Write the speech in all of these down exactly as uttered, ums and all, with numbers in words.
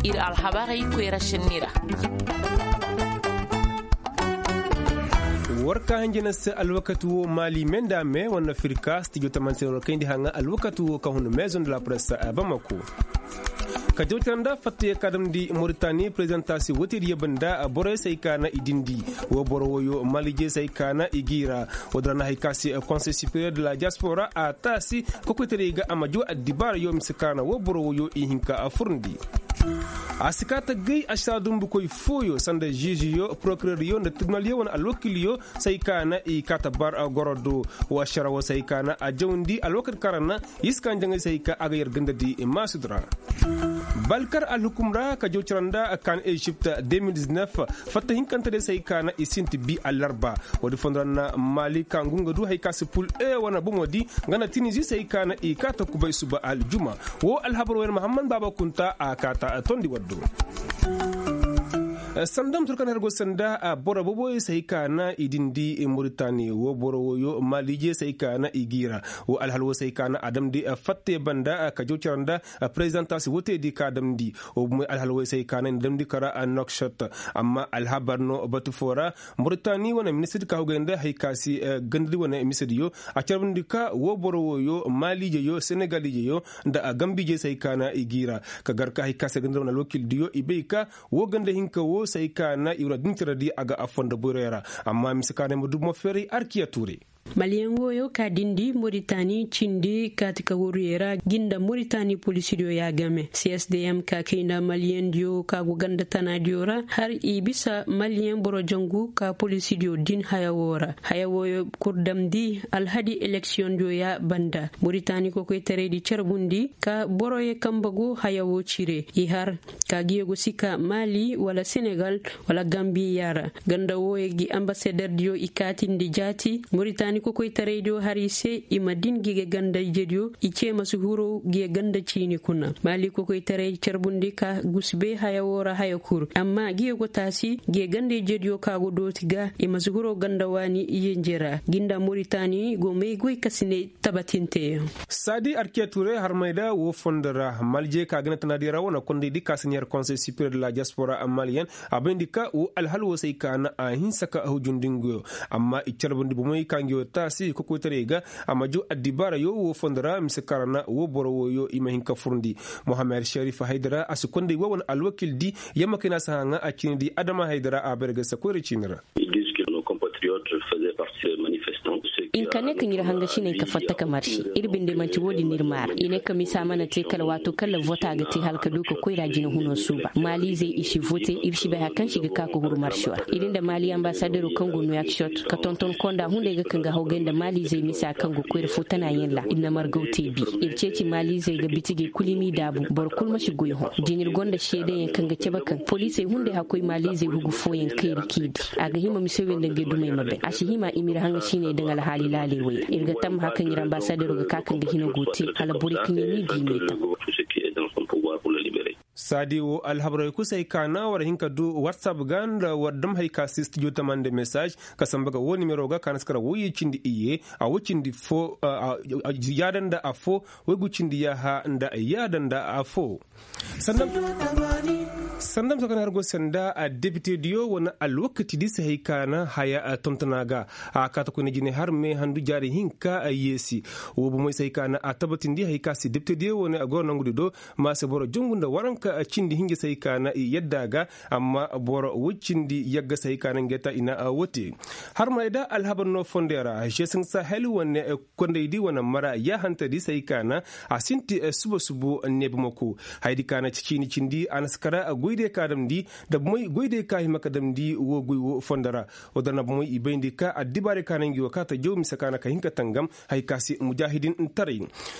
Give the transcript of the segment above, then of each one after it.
Ir alhabarey koyra senni ra. War ka hanjina se alwakati wo maali me nda me wane firka stijo tamantin war kayndi haŋa alwakati wo ka hun maison de la presse a bamako. Ka jawtara nda fattaye ka damndi moritani prezidanta si wote diyo banda borey se ay ka na i dindi. Wo boro woyo malijey se ay ka na i giira. Wo dira na hay ka si konsey superior de la diaspora a taasi kokoytaray ga a ma jaw addibaarayo mise ka na wo boro woyo i hinka a furndi. A si kaa ta gay ašara dumbukoy fooyo sanda žiižiyo porokireryo nda tirbinalyo wane alwakilyo se ay ka na i kaa ta bar goro do. Wa ašara wo se ay ka na a jawndi alwakati kaŋ ra na i si kaa njaŋay se ay ka a ga yar gandadi maasud ra. Balkar alhukum ra ka jaw cara nda kaan ezipt. Fatta hinkante day se ay ka na i sinti bi alarba. Woodi fondo ra na maali ka ngu nga du hay ka si pul e wane bomo di nga na tinizi se ay ka na i kaa ta kubay suba aljuma. Wo alhabar wo yer mahammad baaba kunta a kaa ta tondi waddo. Sanda ma turkan har go sanda boro boboyo se ay ka na i dindi moritani wo boro woyo maaliije se ay ka na i giira. Wo alhal wo se ay ka na a damndi fatte banda ka jaw cara nda prezidanta si wote di ka damndi. Wo bomoy alhal wo se ay ka na i na damndi kara nokshot. Amma alhabar no batu foo ra moritani wane ministir ka hugay nda hay ka si gandadi wane misediyo a carbundi ka wo boro woyo maaliijeyo senegaliijeyo nda gambiijey se ay ka na i giira. Ka gar ka hay ka si gandadi wane alwakildiyo i bay ka wo ganda hinka wo se ay ka na i wane dinciradi a ga a fondo boyroyo ra. Amma mise ka na ay ma du mo feeray arkiya tuuray. Maliyeŋ wooyo ka dindi moritani cindi kaati ka waruyey ra gi nda moritani polisidiyo ya game csdm ka kay nda maliyeŋdiyo ka go ganda tanaadiyo ra har i bisa maliyeŋ boro jangu ka polisidiyo din haya woo ra. Haya wooyo kul damndi alhadi eleksiyoŋdiyo ya banda moritani kokoytaraydi carbundi ka boroyo kambe go haya woo cire i har ka gi ye go si ka maali wala senegal wala gambiya ra. Ganda wooyo gi ambasaderdiyo i kaatindi jaati moritani kokoytaraydiyo har i se i ma din gi ga ganda ijediyo i ce ma si huru gi ga ganda ciini kuna maali kokoytaray carbundi ka gusu bay haya woo ra haya kul amma gi ga go taasi gi ga ganda ijediyo ka go dooti ga i ma si huru ganda waani iyanje ra gi nda moritani go may goy ka si ne tabatinteyaŋ. Saadi arkiya tuuray harmay da woo fondo ra malijey ka ganda tanaadiyo ra wane kondaydi ka si neer konsey superior de la diaspora maliyeŋ a bayndi ka woo alhal woo se ay ka na a hinsa ka hujundi nguyo. Amma i carbundi bomey ka nguyo taasi kokoytaray ga a ma jaw addibaarayo woo fondo ra mise kaŋ ra na woo boro wooyo i ma hin ka furndi. Mohamed sherif haydara a si konday woo wane alwakildi yamma kay na a si haŋa a ciinidi adama haydara a bayra ga se koyra ciini ra. I ne ka ne ka ɲir hangasiney ka fatta ka marsi ir binde manti wo-din no ir maara i ne ka misa mana te kala waato kaŋ ra vota ga te hala ka du ka koyra jina huno suuba maaliizey i si vote ir si bay hari kaŋ se i ga ka ka huru marsiyo ra ir nda maali ambasadero kaŋ go nuwakisot ka tonton konda hunday ga kaŋ ga hawgay nda maaliizey misa kaŋ go koyra fo tanayaŋ ra ir na margaw te bi. Ir ceeci maaliizey ga bitigey kul i m'i daabu boro kul ma si goy hõ. Din ir gonda seedeyaŋ kaŋ ga cabe kaŋ poliisey hunday hakkoy maaliizey hugu fooyaŋ kayri k'i di a ga hima mise wey nda ngey dumey ma bay a si hima i m'ir haŋa siiney daŋ alhaali laaley wey ra ir ga tammaha kaŋ ir ambasadero ga ka kaŋ ga hina go te hala borey kaŋ yaŋ n'i di i m'i taŋ. Saadi wo alhabarey kul se ay ka na war hin ka du whatsapp ga nda war dam hay ka si studio tamande message ka samba ga wo nimero ga ka na si kara woyye cindi iyye a wo cindi fo yaada nda afo waygu cindi yaaha nda yaada nda afo. Sanda ma sokon har go sanda a depite diyo wane alwakati di se hay ka na haya tontona ga a kaata koyne jine har me handu jaari hinka a yeesi. Wo bomey se hay ka na a tabatindi hay ka se depite diyo wane a goro nangudi do ma se boro jongu nda waranka cindi hinja se hay ka na i yadda ga. Amma boro woy cindi yagga se hay ka na ngey ta i na a wote. Har ma i da alhabar no fondey ra žesin sahel wane kondaydi wane mara yaahantadi se hay ka na a sinti suba subo neebamako. Hayadi ka na ci ciini cindi a na si kara goydey ka damndi nda bomey goydey ka hima ka damndi woo goy woo fondo ra. Woo dira na bomey i bayndi ka addibaarey ka na ngi woo ka ta jaw mise ka na ka hin ka tangam. Hay ka se mujaahidin taray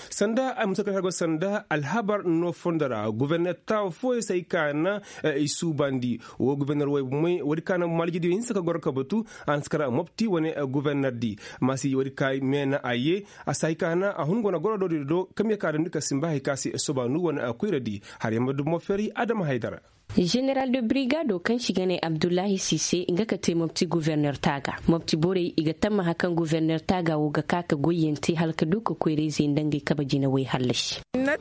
sanda ay musa ka hego sanda alhabar no fondo ra goborner taawa fooyey se hay ka na i suubandi. Woo goborner wey bomey woodi ka na maalijidiyo hinsa ka goro ka batu a na si kara mopti wane goborner di. Maasi woodi ka meena a yee a si hay ka na a hun go na goro do di do kamye ka damndi ka simba hay ka se sobaanu wane koyradi. Har yamma dumo feri adama haydara. Ženeral de brigado kaŋ se i ga ne abdullahi sise nga ka te mopti governer taaga. Mopti borey i ga tammaha kaŋ governer taaga wo ga ka ka goyyaŋ te hala ka du ka koyrayzey nda ngey kabe jinawey hallasi. Nda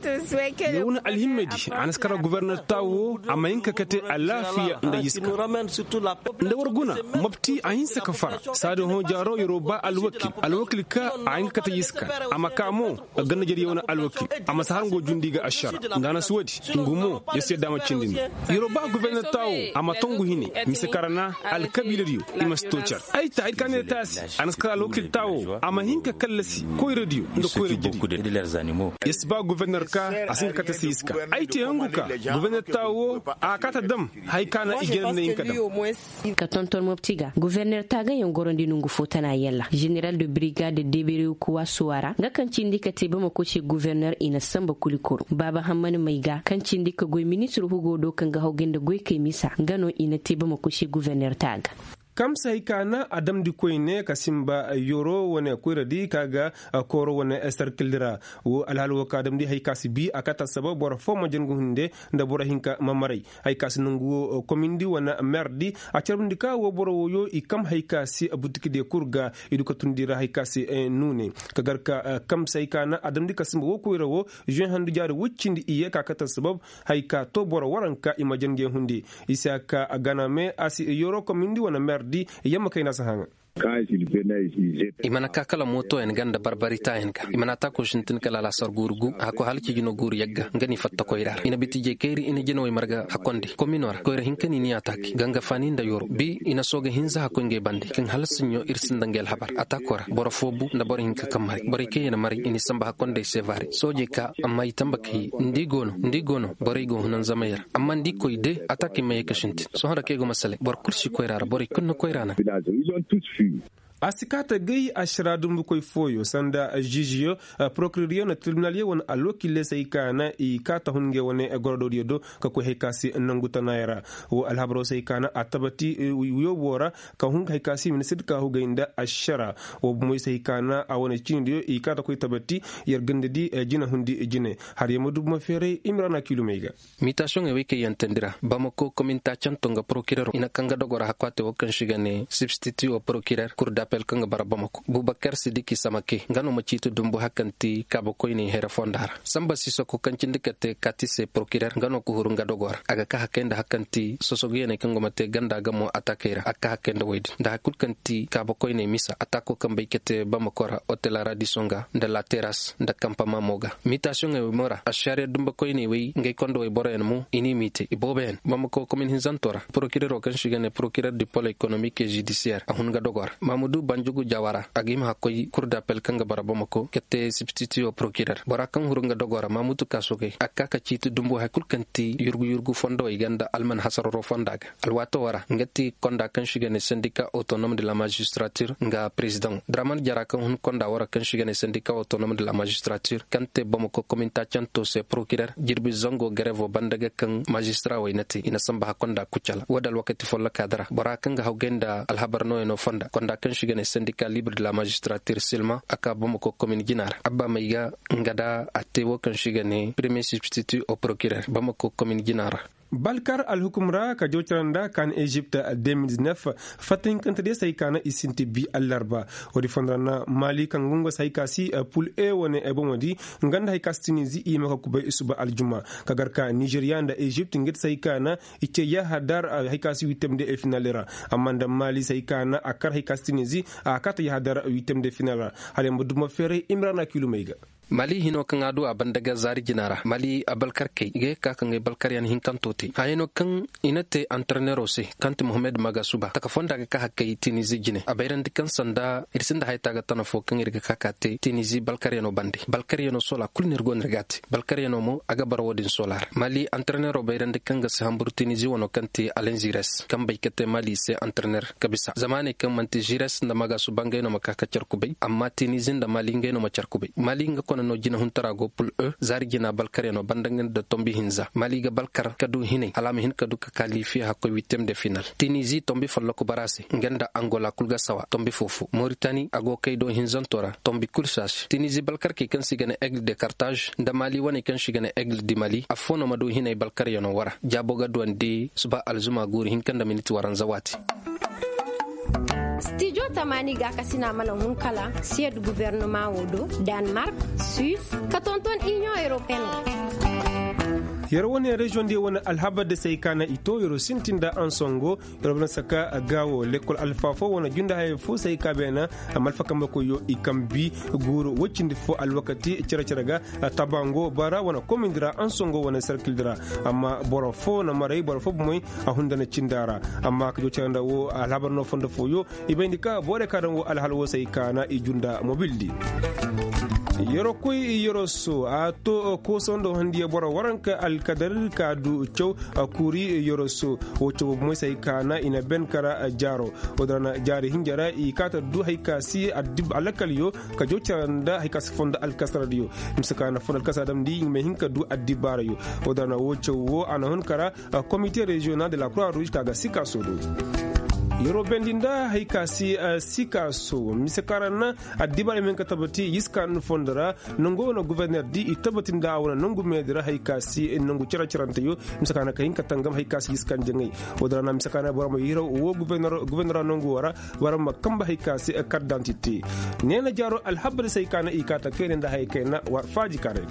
war guna mopti a hinse ka far saadi hõ jaaro yeroo ba alwakil alwakil ka a hin ka kate yiska. A ma ka mo ganda jariya wane alwakil a ma si har ngo jundi ga ašara. Nda a na si woodi ngu mo ya si yadda a ma cindi no. Yeroo ba governer taawo a ma tongu hine mise karana alkabiiladiyo. I ma si too car ay ta hay ka ne taasi a na si kar alwakil taawo a ma hin ka kallasi koyradiyo nda koyra jirbi. Ya si ba governer ka a si hin ka kate si yiska. Ay te hungu ka governer taawo a kaata dam. Hay ka na i jere nda hin ka dam. Ka tonton mopti ga governer taagayaŋ gorandi nongu fo tana yalla ženeral de brigade deberew kuwa suwara nga kaŋ cindi ka te bamako se governer i na samba kuli kuru baaba hammani may ga kaŋ cindi ka goy ministir hugo do kaŋ ga hawgay nda goykey misa nga no i na te bamako se governer taaga. Kamsa hay ka na a damndi koyne ka simba yoro wane koyradi ka ga kooro wane sarkildi ra. Wo alhaal wo ka damndi hay ka si bi a kata sabab boro fo ma jangu hunde nda boro hinka ma maray. Hay ka si nangu wo komindi wane merdi a carbundi ka wo boro woyo i kam hay ka si butikide kul ga i du ka tundi ra hay ka si nuune ka gar ka kamsa hay ka na a damndi ka simba wo koyra wo žuwe handu jaari woy cindi i ye ka kata sabab hay ka to boro waranka i ma jange hunde. I si a ka ganame a si yoro komindi wane merdi yamma kayna si haŋa. I mana ka kala mootoyaŋ ga nda barbaritaayaŋ ga i mana a taako sintin kala alaasar guuru gu a hakkoy hala ciijino guuru yagga nga n'i fatta koyra ra i na biti jekayri i na jinawey marga hakkondi komino ra koyra hinka ni ni a taaki ganga faani nda yoro bi i na sooga hinza hakkoy ngey bande kaŋ hala sinɲo ir sinda ngey alhabar a taako ra boro foo bu nda boro hinka kaŋ maray borey kaŋ ya na maray i n'i samba hakkondey se vaari soojey ka amma i tamba ka ye nda i go no nda i go no borey go hunanzamey ra amma nda i koy de a taakey ma ye ka sintin sohõ ra kaŋ i go masaley boro kul si koyra ra borey kul na koyra naŋ. A si kaata gay ašara dumbukoy fooyo sanda žižiyo porokireryo nda tiribinalyo wane alwakille se hay ka na i kaata hun ngey wane gorodoodiyo do ka koy hay ka se nangu tanaaya ra. Wo alhabaroo se hay ka na a tabati wiyooboo ra ka hun hay ka se ministir ka hugay nda ašara. Wo bumoy se hay ka na a wane ciinidiyo i kaata koy tabati yer ganda di jina hundi jine. Har yer ma du buma feeray i ma ra na kiilumey ga. Mitasiyoŋey wey kaŋ yaŋ teendi ra bamako kominta canto nga porokirero i na kaŋ ga dogora hakku a te wo kaŋ se i ga ne sibstiti wo porokirer kur dapel kaŋ ga bara bamako bubakar sidiki samake nga no ma ciiti dumbu hari kaŋ ti kaabakoyney here fonda ra samba sisako kaŋ cindi ka te kati se porokirer nga no ka huru nga dogora a ga ka hakay nda hari kaŋ ti sosoguyaney kaŋ go ma te ganda ga mo atakey ra a ga ka hakay nda woy din nda hari kulu kaŋ ti kaabakoyney misa atako kaŋ bay ka te bamako ra otel aradiso nga nda lateras nda kampa mamo ga. Mitasiyoŋey wey mo ra ašariya dumbakoyney wey ngey kondowey boroyaŋ mo i n'i miite ibooboyaŋ bamako komin hinzanto ra porokirero kaŋ se i ga ne porokirer du pol ekonomik e judisiyer a hun ga dogo ra mamudu banjugu jawara a ga hima hakkoy kur dapel kaŋ ga bara bamako ka te sibstitiyo porokirer bora kaŋ huru nga dogo ra mamudu kaasogey a ga ka ka ciiti dumbu hari kulu kaŋ ti yurgu yurgu fondowey ga nda alman hasararo fonda ga. Alwaatoo ra nga ti konda kaŋ se i ga ne sendika otonom de la magistratir nga prezidaŋo draman jara kaŋ hun konda wara kaŋ se i ga ne sendika otonom de la magistratir kaŋ te bamako kominta canto se porokirer jirbi zango garevo banda ga kaŋ mazistarawey na te i na samba hakkonda kucala wo- din alwakati folloka dara bora kaŋ ga hawgay nda alhabar nooyaŋo fonda konda kaŋ se i ga ne sendika libre de la magistratir silma a ka bamako komin jina ra abba may ga nga da a te wo kaŋ se i ga ne premiye sibstiti o porokirer bamako komin jina ra. Balkar alhukum ra ka jawcara nda ka na ezipt de mil diznef fatta hinkante diya se hay ka na i sinti bi allarba. Woodi fonda ra na mali kaŋ ga nga se hay ka si pul e wane bomo di nga nda hay ka si tinizi i ma ka kubay isuba aljuma ka gar ka nizeriya nda ezipt nga ti se hay ka na i ce yahadar hay ka si wittem de final ra. Amma nda mali se hay ka na a kar hay ka si tinizi a kaata yahadar wittem de final ra. Hala ya ma duma feeray i ma ra na kilumey ga. Mali hino kaŋ a du a banda ga zaari jina ra mali abalkarkey i ga ye ka ka ngey balkaryaŋ hinkanto te hayano kaŋ i na te antarneero se kaŋ ti mohammed magasuba taka fonda ga ka hakkey tinizi jine a bayrandi kaŋ sanda ir sinda hayata ga tana fo kaŋ ir ga ka ka te tinizi balkaryaŋo bande balkaryaŋo sola kulu no ir go no ir ga a te balkaryaŋo mo a ga bara wo- din sola ra mali antarneero bayrandi kaŋ ga si hamburu tinizi wano kaŋ te alinzires kaŋ bay ka te mali se antarneer ka bisa zama ne kaŋ manti zires nda magasuba ngey no ma ka ka car kubay amma tinizi nda mali ngey no ma car kubay mali nga No jinahuntara go pul e zaari jina balkaryanoo banda nga nda tombi hinza mali ga balkar ka du hinay hala a ma hin ka du ka kaalifiya hakkoy wittem de final. Tinizi tombi folloku bara se nga nda angola kul ga sawa tombi foo foo moritani a go kay do hinzanto ra tombi kul si a se tinizi balkarkey kaŋ se i ga ne aigle de kartaz nda mali waney kaŋ se i ga ne aigle di mali affoo no ma du hinay balkaryanoo wara jaabo ga duwandi suba alzuma guuri hinka nda minit waranza waati. Stijo tamaani gaakasina mana hun kala siyad gubernumaŋo do danmark, suis ka tonton iniyoŋ europeen. Yer wane reziyoŋ diyo wane alhabar da se ay kaana i to yer sintin nda ansongo yer wane saka gaawo lekkol alfaafo wane junda haya fo se ay ka beena. Amma alfakambakoyo i kambi guuru woy cindi fo alwakati cere-cere ga tabango bara wane komindi ra ansongo wane serkildi ra. Amma boro fo na maray boro fo bomey a hunda na cinda ra. Amma ka joocere nda wo alhabar no fondo fooyo i bayndi ka borey ka daŋ wo alhal wo se ay kaana i junda mobildi. Yero koy yero so a to koosando handiya boro waranka alkadar ka du caw. Kuuri yero so wo caw moy se ay kaana i na ben kara jaaro. Wo-din ra na jaari hinja ra i kaata du hay ka si alakal yo ka joocere nda hay ka si fondo alkasaradiyo. Mise ka na fondo alkasara damndi i ma hin ka du addibaarayo. Wo-din ra na wo caw wo a na hun kara komite reziyonal de la kura ruuz ka ga sikaaso do. Yeroo bendi nda hay ka si sikaaso mise ka ra na addibaara ma hin ka tabati yiskaanu fondo ra. Nangu wane guberner di i tabati nda a wane nangu meedi ra hay ka si nangu cere-ceranteyo. Mise ka na ka hin ka tangam hay ka si yiskan jaŋay. Wo-din ra na mise ka na boro ma yiraw wo guberner ra nangu wo ra boro ma kamba hay ka si kardantite. Neena jaaro alhabar se hay ka na i kaata kayna nda hay kayna war faaji karay.